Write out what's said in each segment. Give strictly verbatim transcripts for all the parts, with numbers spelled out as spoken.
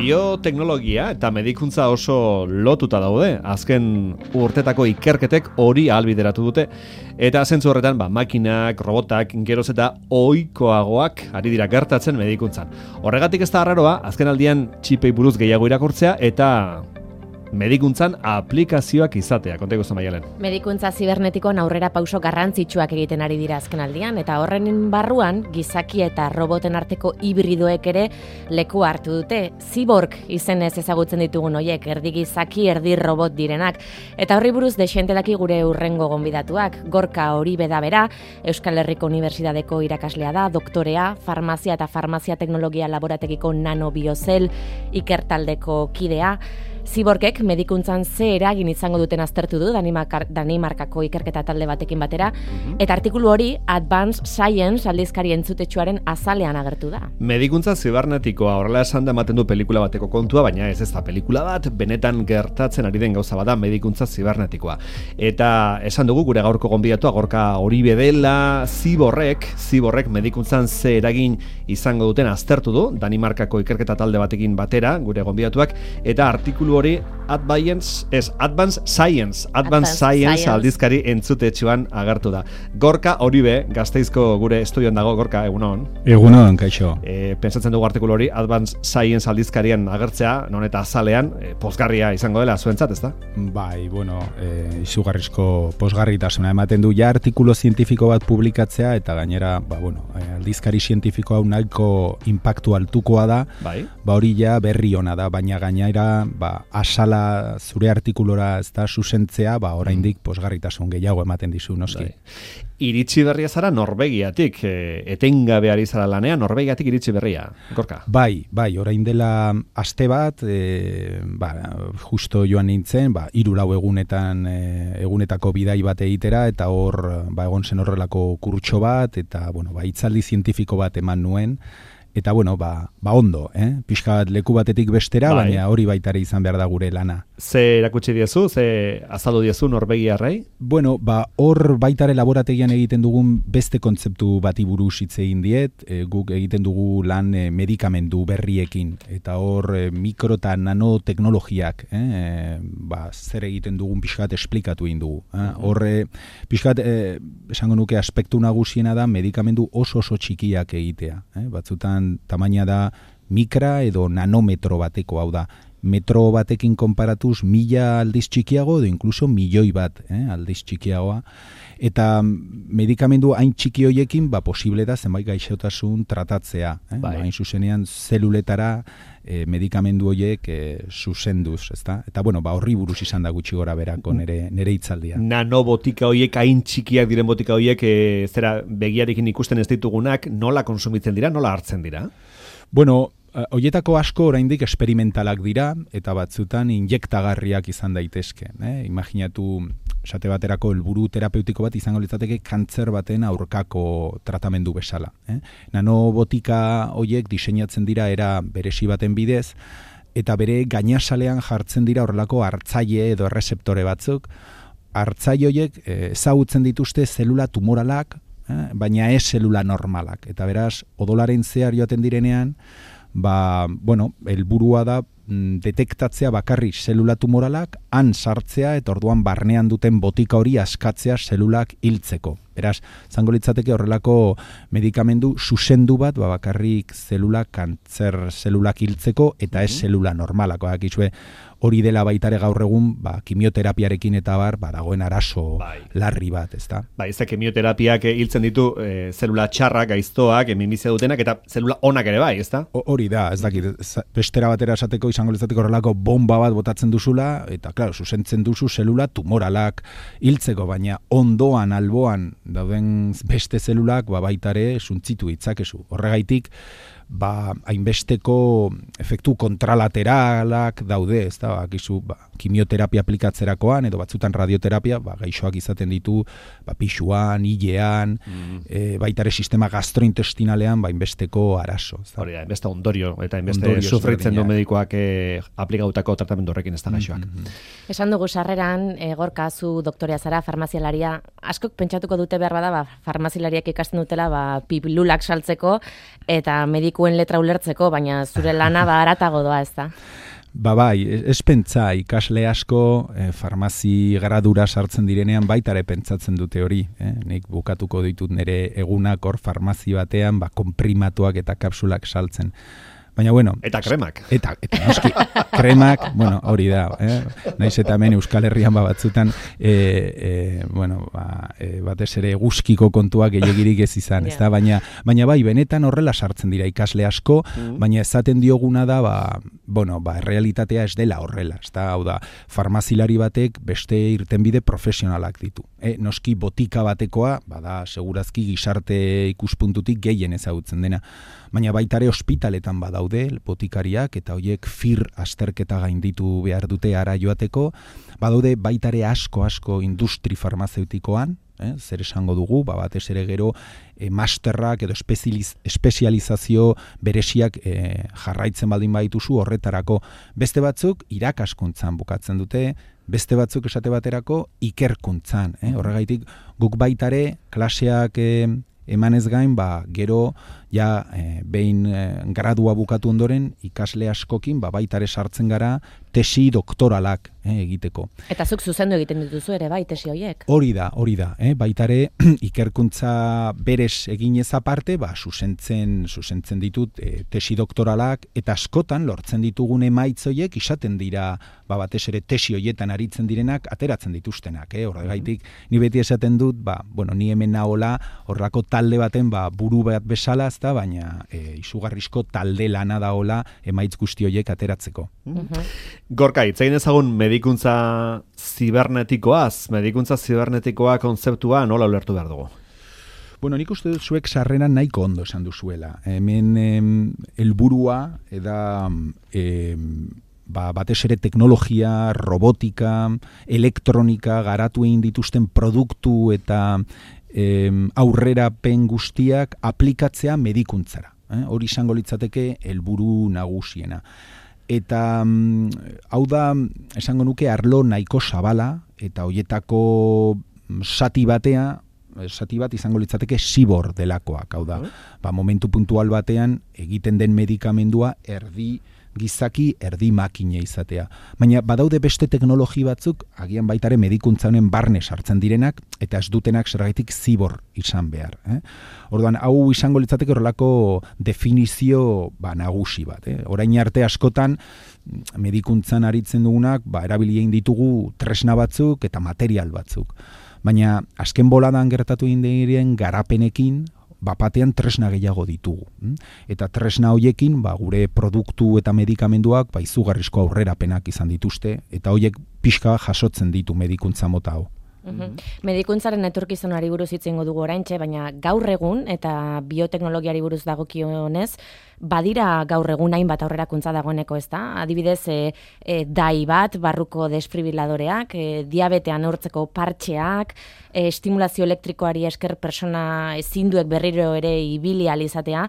Bioteknologia eta medikuntza oso lotuta daude. Azken urtetako ikerketek hori ahalbideratu dute. Eta zentzu horretan, ba, makinak, robotak, geroz eta ohikoagoak ari dira gertatzen medikuntzan. Horregatik ez da arraroa, azken aldian txipei buruz gehiago irakurtzea eta medikuntzan aplikazioak izatea. Konteko zen Maialen. Medikuntza zibernetikoan aurrera pauso garrantzitsuak egiten ari dira azken aldian, eta horren barruan gizaki eta roboten arteko hibridoek ere leku hartu dute. Cyborg izenez ezagutzen ditugun hoiek, erdi gizaki, erdi robot direnak. Eta horri buruz dexente daki gure urrengo gonbidatuak. Gorka Oribe da bera, Euskal Herriko Unibertsitateko irakaslea da, doktorea, farmazia eta farmazia teknologia laborategiko nanobiozel ikertaldeko kidea. Ziborgek medikuntzan ze eragin izango duten aztertu du Danimarkako ikerketa talde batekin batera, mm-hmm. eta artikulu hori Advanced Science aldizkari entzutetsuaren azalean agertu da. Medikuntza zibernetikoa horrela esan da ematen du pelikula bateko kontua, baina ez ez da pelikula bat, benetan gertatzen ari den gauza bada medikuntza zibernetikoa. Eta esan dugu gure gaurko gonbidatua Gorka Oribe dela, Ziborrek, Ziborrek medikuntzan ze eragin izango duten aztertu du Danimarkako ikerketa talde batekin batera, gure gonbidatuak, eta artikulu hori Advanced, es, Advanced Science, Advanced, Advanced Science, Science aldizkari entzutetsuan agertu da. Gorka Oribe, Gasteizko gure estudioan dago, Gorka, egunon. Egunon, kaixo. E, pentsatzen dugu artikulu hori Advanced Science aldizkarian agertzea, non eta azalean, e, pozgarria izango dela zuentzat, ezta? Bai, bueno, e, izugarrizko pozgarritasuna ematen du ja artikulu zientifiko bat publikatzea, eta gainera, ba, bueno, aldizkari zientifiko hau nahiko inpaktu altukoa da, bai. Ba hori ja berri ona da, baina gainera, ba, asala zure artikulora ez da zuzentzea, ba, oraindik posgarritasun gehiago ematen dizu, noski. Bai. Iritsi berria zara Norvegiatik, e, etengabe ari zara lanean, Norvegiatik iritsi berria, Gorka? Bai, bai, orain dela aste bat, e, ba, justo joan nintzen, ba, hiru lau egunetan, e, egunetako bidai bat egitera, eta hor, ba, egon zen horrelako kurtso bat, eta, bueno, ba, hitzaldi zientifiko bat eman nuen, eta, bueno, ba, ba ondo, eh? Pixka bat leku batetik bestera, bai. Baina hori baitare izan behar da gure lana. Ze erakutsi diezu, ze azaldu diezu Norvegiarrei? Bueno, ba, hor baitare laborategian egiten dugun beste kontzeptu bati buruz hitz egin diet, e, guk egiten dugu lan e, medikamendu berriekin, eta hor e, mikro eta nanoteknologiak, eh? e, ba, zer egiten dugun pixka bat esplikatu egin dugu. Eh? Hor, e, pixka bat, e, esango nuke aspektu nagusiena da medikamendu oso oso txikiak egitea. Eh? Batzutan tamaina da mikra edo nanometro bateko, hau da, metro batekin konparatuz mila aldiz txikiago edo inkluso milioi bat eh, aldiz txikiagoa. Eta medikamendu hain txiki hoiekin, ba, posible da zenbait gaixotasun tratatzea. Eh? Bai. Ba, hain zuzenean zeluletara eh, medikamendu horiek eh, zuzenduz, ezta? Eta bueno, ba, horri buruz izan da gutxi gora berako nere, nere hitzaldia. Nanobotika horiek, hain txikiak diren botika horiek, eh, zera begiarekin ikusten ez ditugunak, nola konsumitzen dira, nola hartzen dira? Bueno, hoietako asko oraindik esperimentalak dira eta batzutan injektagarriak izan daitezke. Eh? Imaginatu, esate baterako helburu terapeutiko bat izango litzateke kantzer baten aurkako tratamendu bezala. Eh? Nanobotika hoiek diseinatzen dira era beresi baten bidez, eta bere gainasalean jartzen dira horrelako hartzaile edo errezeptore batzuk. Hartzaile hoiek ezagutzen dituzte zelula tumoralak, eh? baina ez zelula normalak. Eta beraz, odolaren zehar joaten direnean, ba, bueno, helburua da detektatzea bakarrik zelula tumoralak, han sartzea eta orduan barnean duten botika hori askatzea zelulak hiltzeko. Beraz, zango litzateke horrelako medikamendu zuzendu bat, ba, bakarrik zelulak, kantzer zelulak hiltzeko eta ez zelula normalak. Bakizue, hori dela baitare gaur egun, ba, kimioterapiarekin eta bar, ba, dagoen arazo bai. larri bat, ezta? Ba, ez da kimioterapiak hiltzen ditu e, zelula txarrak, gaiztoak, minbizia dutenak, eta zelula onak ere bai, ezta? Hori da, ez dakit, bestera batera esateko izango litzateko horrelako bomba bat botatzen duzula, eta, klaro, zuzentzen duzu zelula tumoralak hiltzeko, baina ondoan, alboan, dauden beste zelulak, ba, baitare suntzitu ditzakezu. Horregaitik, ba, hainbesteko efektu kontralateralak daude, ezta? ezta? Ba, gizu, ba, kimioterapia aplikatzerakoan edo batzutan radioterapia, ba, gaixoak izaten ditu, ba, pixuan, hilean, mm. e, baita ere sistema gastrointestinalean, ba, inbesteko arazo. Hori da, inbeste ondorio, eta inbeste sufritzen du medikoak e, aplikautako tratamendu horrekin ez da gaixoak. Mm -hmm. Esan dugu sarreran, e, Gorka, zu doktorea zara, farmazialaria, askok pentsatuko dute behar bada, ba, farmazialariak ikasten dutela, ba, pilulak saltzeko, eta medikuen letra ulertzeko, baina zure lana ba haratago doa, ez da? Ba bai, ez pentsa, ikasle asko eh, farmazi gradura sartzen direnean baitare pentsatzen dute hori. Eh? Nik bukatuko ditut nire egunak hor farmazi batean, ba, konprimatuak eta kapsulak saltzen. Baina, bueno... Eta kremak. Eta, eta noski, kremak, bueno, hori da. Eh? Naiz eta hemen Euskal Herrian ba batzutan, e, e, bueno, ba, e, batez ere guzkiko kontuak gehiagirik ez izan, yeah. ez da? Baina, baina bai, benetan horrela sartzen dira ikasle asko, mm. baina ezaten dioguna da, ba, bueno, ba, realitatea ez dela horrela, ez da? Hau da, farmazilari batek beste irtenbide profesionalak ditu. E, noski botika batekoa, bada, segurazki gizarte ikuspuntutik gehien ezagutzen dena. Baina baitare ospitaletan badaude botikariak eta hoiek fir azterketa gainditu behar dute ara joateko, badaude baitare asko asko industri farmazeutikoan, eh, zer esango dugu, ba, batez ere gero eh, masterrak edo espezializ, espezializazio beresiak eh, jarraitzen baldin badituzu horretarako. Beste batzuk irakaskuntzan bukatzen dute, beste batzuk esate baterako ikerkuntzan. Eh? Horregaitik guk baitare klaseak eh, emanez gain, ba, gero ja e, behin e, gradua bukatu ondoren ikasle askokin ba, baitare sartzen gara tesi doktoralak e, egiteko. Eta zuk zuzendu egiten dituzu ere bai tesi horiek? Hori da, hori da. E, baitare ikerkuntza berez eginez aparte, ba, zuzentzen, zuzentzen ditut e, tesi doktoralak eta askotan lortzen ditugun emaitz horiek izaten dira ba, batez ere tesi horietan aritzen direnak ateratzen dituztenak. Eh? Horregaitik, ni beti esaten dut, ba, bueno, ni hemen nahola horrako talde baten ba, buru bat bezala, ezta, baina e, izugarrizko talde lana daola emaitz guzti horiek ateratzeko. Mm-hmm. Gorka, hitz egin ezagun medikuntza zibernetikoaz, medikuntza zibernetikoa kontzeptua nola ulertu behar dugu? Bueno, nik uste dut zuek sarreran nahiko ondo esan duzuela. Hemen em, helburua eda em, ba, batez ere teknologia, robotika, elektronika, garatu egin dituzten produktu eta em, aurrerapen guztiak aplikatzea medikuntzara. Eh? Hori izango litzateke helburu nagusiena. Eta um, hau da, esango nuke, arlo nahiko zabala, eta hoietako sati batea, sati bat izango litzateke zibor delakoak, hau da, ba, momentu puntual batean egiten den medikamendua erdi gizaki, erdi makine izatea. Baina badaude beste teknologi batzuk, agian baitare medikuntza honen barne sartzen direnak, eta ez dutenak zergaitik zibor izan behar. Eh? Orduan, hau izango litzateke horrelako definizio ba, nagusi bat. Eh? Orain arte askotan, medikuntzan aritzen dugunak, ba, erabili egin ditugu tresna batzuk eta material batzuk. Baina, azken boladan gertatu egin diren garapenekin, bapatean tresna gehiago ditugu. Eta tresna hoiekin, ba, gure produktu eta medikamenduak ba, izugarrizko aurrerapenak izan dituzte, eta hoiek pixka jasotzen ditu medikuntza mota hau. Uhum. Medikuntzaren etorkizunari buruz hitz egingo dugu oraintxe, baina gaur egun eta bioteknologiari buruz dagokionez, badira gaur egun hainbat aurrerakuntza dagoeneko, ez da? Adibidez, e, e, dai bat, barruko desfibriladoreak, e, diabetean neurtzeko partxeak, e, estimulazio elektrikoari esker persona ezinduek berriro ere ibili ahal izatea,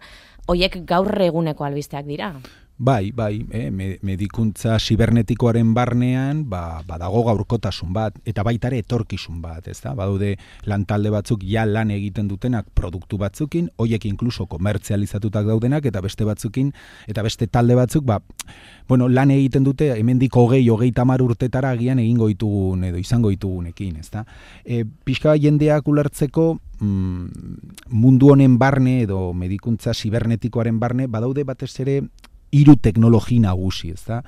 hoiek gaur eguneko albisteak dira. Bai, bai, eh, medikuntza zibernetikoaren barnean ba, badago gaurkotasun bat, eta baitare etorkizun bat, ez da? Badaude lantalde batzuk ja lan egiten dutenak produktu batzukin, hoiek inkluso komertzializatutak daudenak, eta beste batzukin, eta beste talde batzuk, ba, bueno, lan egiten dute, hemendik hogei, hogei tamar urtetara agian egingo ditugun, edo izango ditugunekin, ez da? E, pixka jendeak ulertzeko, mm, mundu honen barne, edo medikuntza zibernetikoaren barne, badaude batez ere, hiru teknologi nagusi, ez da?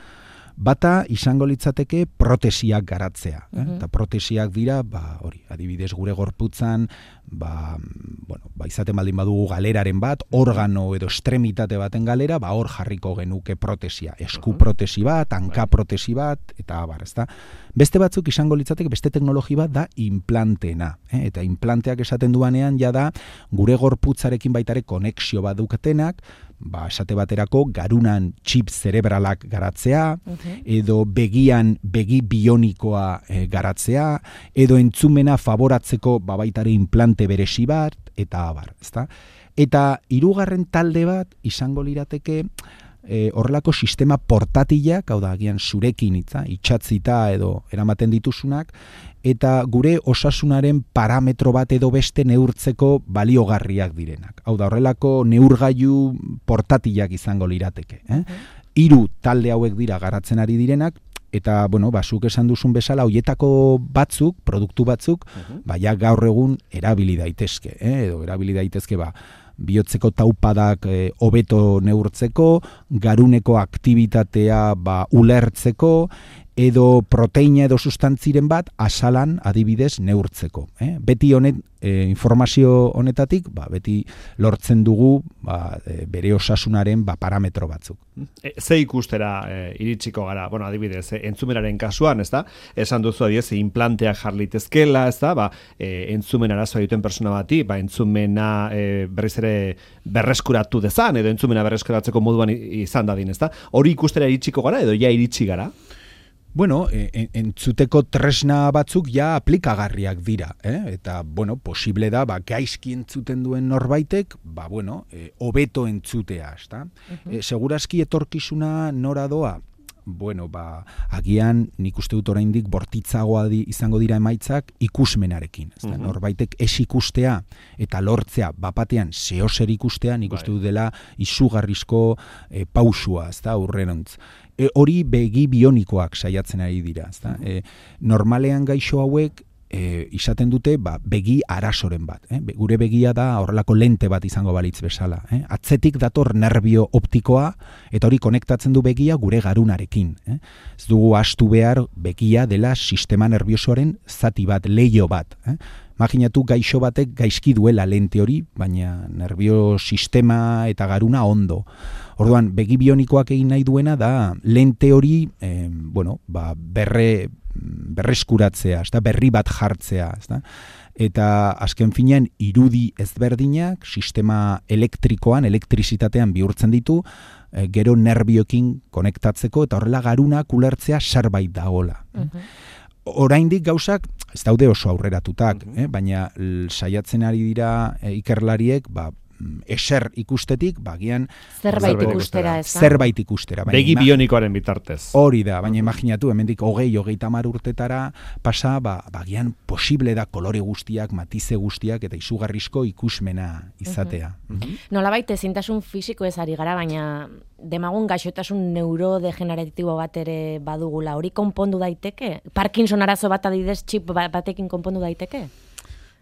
Bata izango litzateke protesiak garatzea. Eh? Mm-hmm. Eta protesiak dira, ba, hori, adibidez gure gorputzan, ba, bueno, ba, izaten baldin badugu galeraren bat, organo edo estremitate baten galera, ba, hor jarriko genuke protesia. Esku protesi bat, hanka protesi bat, eta abar, ez da? Beste batzuk izango litzateke, beste teknologi bat da implanteena. Eh? Eta implanteak esaten duanean, ja da, gure gorputzarekin baitare konexio bat duketenak, ba, esate baterako garunan txip zerebralak garatzea, edo begian begi bionikoa e, garatzea, edo entzumena favoratzeko ba, baitare implante beresi bat, eta abar, ezta? Eta hirugarren talde bat izango lirateke e, horrelako sistema portatilak, hau da, agian zurekin itza, itxatzita edo eramaten dituzunak, eta gure osasunaren parametro bat edo beste neurtzeko baliogarriak direnak. Hau da, horrelako neurgailu portatilak izango lirateke. Eh? Hiru talde hauek dira garatzen ari direnak, eta, bueno, basuk esan duzun bezala, hoietako batzuk, produktu batzuk, uh-huh. baina gaur egun erabili daitezke, eh? edo erabili daitezke, ba, bihotzeko taupadak hobeto e, neurtzeko, garuneko aktibitatea ba, ulertzeko, edo proteina edo sustantziren bat asalan adibidez neurtzeko. Eh? Beti honet, e, informazio honetatik, ba, beti lortzen dugu ba, e, bere osasunaren ba, parametro batzuk. E, ze ikustera e, iritsiko gara, bueno, adibidez, e, entzumenaren kasuan, ez da? Esan duzu adibidez, implanteak jarlitezkela, ez da? Ba, e, entzumen arazoa duten persona bati, ba, entzumena e, berriz ere berreskuratu dezan, edo entzumena berreskuratzeko moduan izan dadin, ez da? Hori ikustera iritsiko gara, edo ja iritsi gara? Bueno, en, entzuteko tresna batzuk ja aplikagarriak dira, eh? Eta, bueno, posible da, ba, gaizki entzuten duen norbaitek, ba, bueno, e, hobeto entzutea, ezta? Uh-huh. E, segurazki etorkizuna nora doa? Bueno, ba, agian nik uste dut oraindik bortitzagoa di, izango dira emaitzak ikusmenarekin. Uh-huh. Norbaitek ez ikustea eta lortzea bapatean zehozer ikustea, nik uste dut dela izugarrizko e, pausua, ezta, aurrerantz. E, hori begi bionikoak saiatzen ari dira, ezta? Uh-huh. E, normalean gaixo hauek E, izaten dute ba, begi arasoren bat. Eh? Be, gure begia da horrelako lente bat izango balitz bezala. Eh? Atzetik dator nerbio optikoa eta hori konektatzen du begia gure garunarekin. Eh? Ez dugu astu behar begia dela sistema nerviosoaren zati bat, leio bat. Eh? Imaginatu gaixo batek gaizki duela lente hori, baina nerbio sistema eta garuna ondo. Orduan, begi bionikoak egin nahi duena da lente hori eh, bueno, ba, berre berreskuratzea, ezta, berri bat jartzea, ezta? Eta azken finean irudi ezberdinak sistema elektrikoan, elektrizitatean bihurtzen ditu, e, gero nerbioekin konektatzeko eta horrela garunak ulertzea zerbait dagoela. Uh-huh. Oraindik gauzak ez daude oso aurreratutak, uh-huh. eh? baina l, saiatzen ari dira e, ikerlariek, ba, eser ikustetik, bagian zerbait ikustera, ez da? Zerbait ikustera. Begi bionikoaren bitartez. Hori da, baina imaginatu, hemendik hogei, hogeita hamar urtetara pasa, ba, bagian posible da kolore guztiak, matize guztiak, eta izugarrizko ikusmena izatea. Uh-huh. Uh-huh. Nolabait ezintasun fisiko ez ari gara, baina demagun gaixotasun neurodegeneratibo bat ere badugula. Hori konpondu daiteke? Parkinson arazo bat adidez txip batekin konpondu daiteke?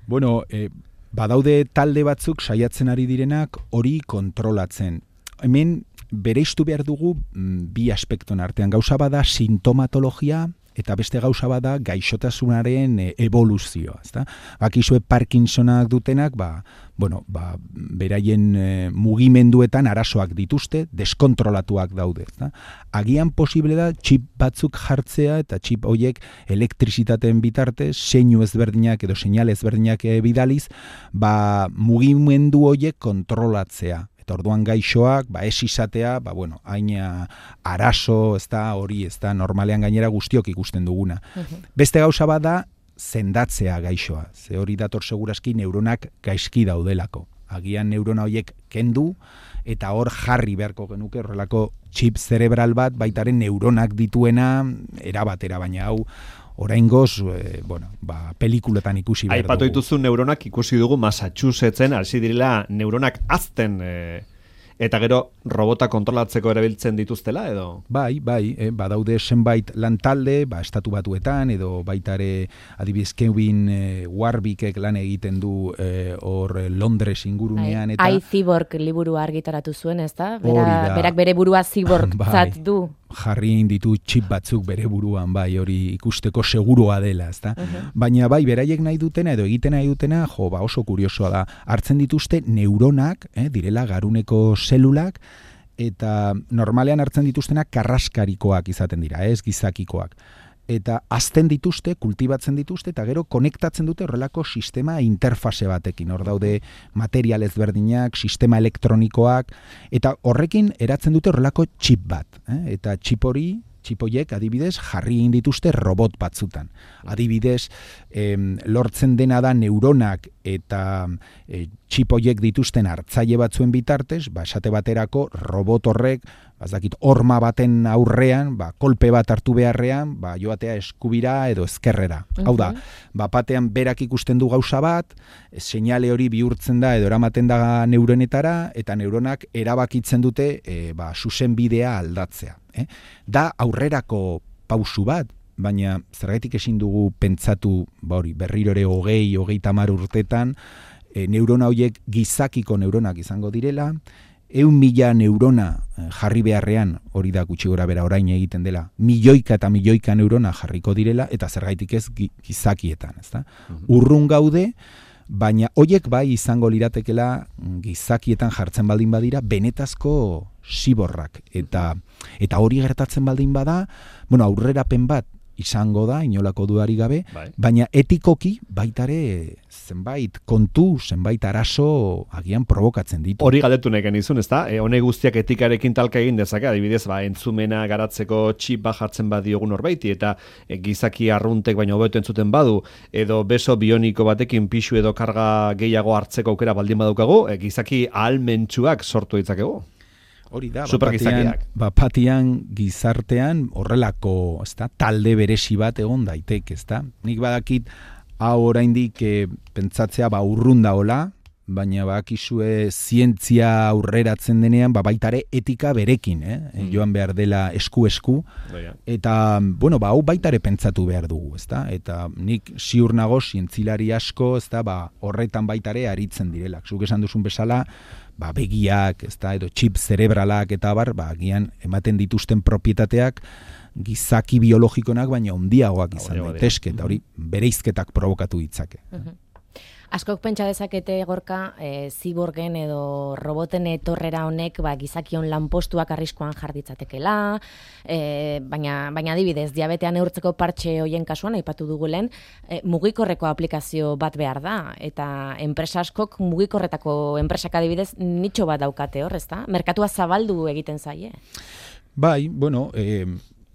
Bueno, eh, badaude talde batzuk saiatzen ari direnak hori kontrolatzen. Hemen bereiztu behar dugu bi aspekton artean. Gauza bada sintomatologia eta beste gauza bada gaixotasunaren evoluzioa. Ezta? Bakizue Parkinsonak dutenak, ba, bueno, ba, beraien e, mugimenduetan arazoak dituzte, deskontrolatuak daude. Ezta? Agian posible da txip batzuk jartzea eta txip horiek elektrizitateen bitartez, seinu ezberdinak edo seinale ezberdinak bidaliz, ba, mugimendu horiek kontrolatzea. Orduan gaixoak, ba, ez izatea, ba, bueno, haina arazo, ez da, hori, ez da, normalean gainera guztiok ikusten duguna. Uh-huh. Beste gauza bat da, sendatzea gaixoa. Ze hori dator segurazki neuronak gaizki daudelako. Agian neurona horiek kendu, eta hor jarri beharko genuke horrelako txip zerebral bat, baitaren neuronak dituena, erabatera, baina hau, oraingoz, e, bueno, ba, pelikuletan ikusi behar dugu. Aipatu dituzu neuronak ikusi dugu Massachusettsen, hasi direla neuronak azten, e, eta gero robota kontrolatzeko erabiltzen dituztela, edo? Bai, bai, eh, badaude zenbait lantalde, ba, estatu batuetan, edo baitare adibidez Kevin eh, Warwickek lan egiten du hor eh, Londres ingurunean. Eta iCyborg liburua argitaratu zuen, ez da? Bera, berak bere burua ziborgtzat bai. Du. Jarri ditu txip batzuk bere buruan, bai, hori ikusteko seguroa dela, ezta? Uh-huh. Baina bai, beraiek nahi dutena edo egiten nahi dutena, jo, ba, oso kuriosoa da. Hartzen dituzte neuronak, eh, direla garuneko zelulak, eta normalean hartzen dituztenak karraskarikoak izaten dira, ez gizakikoak. eta azten dituzte, kultibatzen dituzte, eta gero konektatzen dute horrelako sistema interfase batekin. Hor daude material ezberdinak, sistema elektronikoak, eta horrekin eratzen dute horrelako txip bat. Eh? Eta txip hori, txipoiek adibidez jarri egin dituzte robot batzutan. Adibidez, em, lortzen dena da neuronak eta e, txipoiek dituzten hartzaile batzuen bitartez, ba, esate baterako robot horrek, bazakit, horma baten aurrean, ba, kolpe bat hartu beharrean, ba, joatea eskubira edo ezkerrera. Uh-huh. Hau da, ba, batean berak ikusten du gauza bat, seinale hori bihurtzen da edo eramaten da neuronetara, eta neuronak erabakitzen dute e, ba, zuzen bidea aldatzea. Eh? Da aurrerako pausu bat, baina zergatik ezin dugu pentsatu, ba hori, berriro ere hogei, hogei tamar urtetan, e, neurona horiek gizakiko neuronak izango direla, eun mila neurona jarri beharrean, hori da gutxi gora bera orain egiten dela, milioika eta milioika neurona jarriko direla, eta zergaitik ez gizakietan, ezta? Uh-huh. Urrun gaude, baina horiek bai izango liratekela gizakietan jartzen baldin badira, benetazko siborrak. Eta, eta hori gertatzen baldin bada, bueno, aurrerapen bat izango da, inolako dudari gabe, bai. Baina etikoki baitare zenbait kontu, zenbait arazo agian provokatzen ditu. Hori galdetu nahi genizun, ezta? E, honek guztiak etikarekin talka egin dezake, adibidez, ba, entzumena garatzeko txip bat jartzen badiogun horbaiti, eta e, gizaki arruntek baino hobeto entzuten badu, edo beso bioniko batekin pixu edo karga gehiago hartzeko aukera baldin badukagu, e, gizaki ahalmentsuak sortu ditzakegu. Hori da, bapatian, bapatian gizartean horrelako, ezta, talde beresi bat egon daitek, ezta. Nik badakit hau oraindik e, pentsatzea ba urrun daola, baina bakizue zientzia aurreratzen denean, ba baitare etika berekin, eh? Mm. Joan behar dela esku-esku, eta, bueno, ba hau baitare pentsatu behar dugu, ezta? Eta nik ziur nago zientzilari asko, ezta, ba horretan baitare aritzen direlak. Zuk esan duzun bezala, ba begiak, ezta, edo chip zerebralak eta bar, ba agian ematen dituzten propietateak gizaki biologikonak baina handiagoak izan daitezke, eta hori bereizketak provokatu ditzake. Uh-huh. Askok pentsa dezakete, Gorka, e, ziborgen edo roboten etorrera honek ba, gizakion lanpostuak arriskoan jarditzatekela, e, baina, baina adibidez, diabetean neurtzeko partxe hoien kasuan, aipatu dugu lehen, e, mugikorreko aplikazio bat behar da, eta enpresa askok mugikorretako enpresak adibidez nitxo bat daukate hor, ezta? Merkatua zabaldu egiten zaie. Bai, bueno, eh,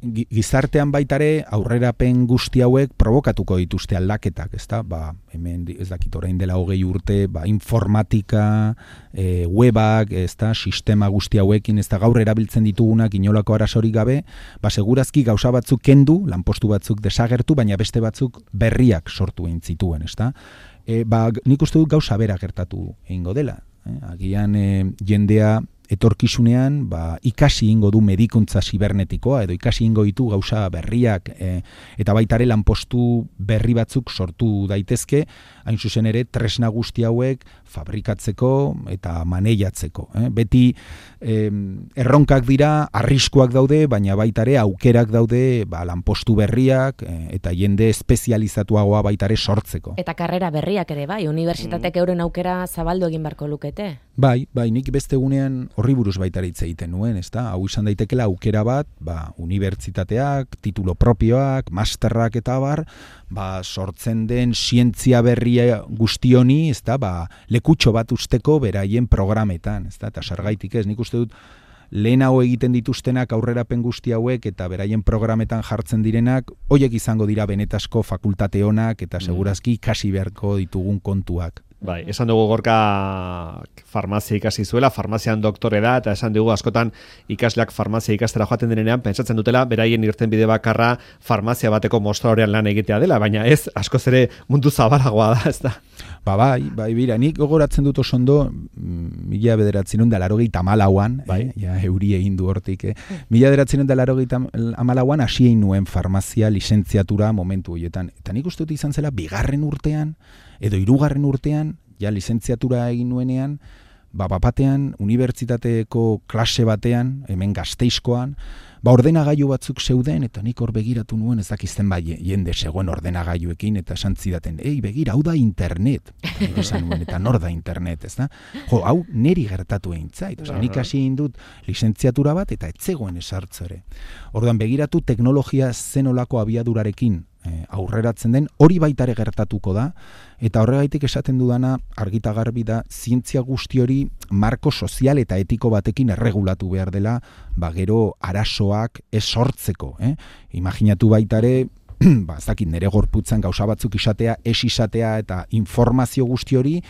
gizartean baitare aurrerapen guzti hauek provokatuko dituzte aldaketak, ezta? Ba, hemen ez dakit orain dela hogei urte, ba, informatika, e, webak, ezta, sistema guzti hauekin, ezta, gaur erabiltzen ditugunak inolako arazorik gabe, ba, segurazki gauza batzuk kendu, lanpostu batzuk desagertu, baina beste batzuk berriak sortu egin zituen, ezta? E, ba, nik uste dut gauza bera gertatu egingo dela. Eh? Agian e, jendea etorkizunean ba, ikasi ingo du medikuntza zibernetikoa edo ikasi ingo ditu gauza berriak e, eta baitare lanpostu berri batzuk sortu daitezke, hain zuzen ere tresna guzti hauek fabrikatzeko eta maneiatzeko. Eh? Beti eh, erronkak dira, arriskuak daude, baina baitare aukerak daude ba, lanpostu berriak eh, eta jende espezializatuagoa baitare sortzeko. Eta karrera berriak ere bai, unibertsitatek euren aukera zabaldu egin beharko lukete. Bai, bai, nik beste gunean horri buruz baita hitz egiten nuen, ezta? Hau izan daitekela aukera bat, ba, unibertsitateak, titulo propioak, masterrak eta bar, ba, sortzen den zientzia berria guzti honi, ezta? Ba, lekutxo bat usteko beraien programetan, ezta? Eta sargaitik ez, nik uste dut lehenago egiten dituztenak aurrerapen guzti hauek eta beraien programetan jartzen direnak, hoiek izango dira benetazko fakultate honak eta segurazki ikasi beharko ditugun kontuak. Bai, esan dugu Gorka farmazia ikasi zuela, farmazian doktore da, eta esan dugu askotan ikasleak farmazia ikastera joaten denean, pentsatzen dutela, beraien irtenbide bakarra farmazia bateko mostradorean lan egitea dela, baina ez, askoz ere mundu zabalagoa da, ez da? Ba, bai, bai, bira, nik gogoratzen dut oso ondo, mila bederatzen da larogeita hamalauan, bai. eh, ja, euri egin du hortik, eh? mila bederatzen da larogeita hamalauan hasi egin nuen farmazia lizentziatura momentu horietan, eta nik uste dut izan zela bigarren urtean, edo hirugarren urtean, ja lizentziatura egin nuenean, ba, bapatean, unibertsitateko klase batean, hemen Gasteizkoan, ba, ordenagailu batzuk zeuden, eta nik hor begiratu nuen ezakizten bai jende zegoen ordenagailuekin, eta esan zidaten, ei, begira, hau da internet. Eta esan nuen, eta nor da internet, ez da? Jo, hau neri gertatu egin zait. Osa, nik hasi egin dut lizentziatura bat, eta etzegoen esartzo ere. Orduan, begiratu teknologia zenolako abiadurarekin eh, aurreratzen den, hori baitare gertatuko da, eta horregaitik esaten dudana argita garbi da, zientzia guzti hori marko sozial eta etiko batekin erregulatu behar dela, ba gero arazoak ez sortzeko. Eh? Imaginatu baitare, ba, ez dakit, nere gorputzan gauza batzuk izatea, ez izatea eta informazio guzti hori,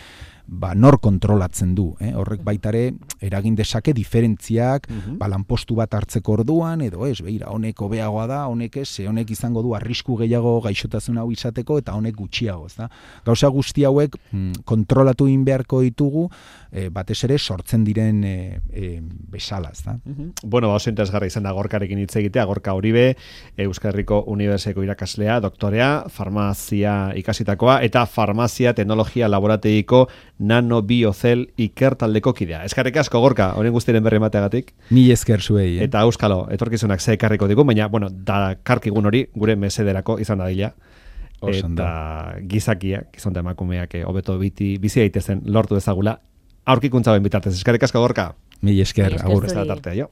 ba, nor kontrolatzen du. Eh? Horrek baitare eragin dezake diferentziak, uh-huh. ba, lanpostu bat hartzeko orduan, edo ez, behira, honek hobeagoa da, honek ez, honek izango du arrisku gehiago gaixotasun hau izateko, eta honek gutxiago. Ez da? Gauza guzti hauek mm, kontrolatu egin beharko ditugu, eh, batez ere sortzen diren eh, eh, bezala. Ez da? Uh-huh. Bueno, ba, oso interesgarri izan da Gorkarekin hitz egitea, Gorka Uribe, Euskal Herriko Unibertsitateko irakaslea, doktorea, farmazia ikasitakoa, eta farmazia teknologia laborategiko nanobiocel ikertaldeko kidea. Eskerrik asko Gorka, honen guztiren berri emateagatik. Ni esker zuei. Eh? Eta euskalo, etorkizunak ze ekarriko digu, baina, bueno, da karkigun hori gure mesederako izan dadila. Eta gizakiak, gizonta emakumeak hobeto biti bizi daitezen lortu ezagula. Aurkikuntza ben bitartez. Eskerrik asko Gorka. Mi esker, agur. Ez da tartea, jo.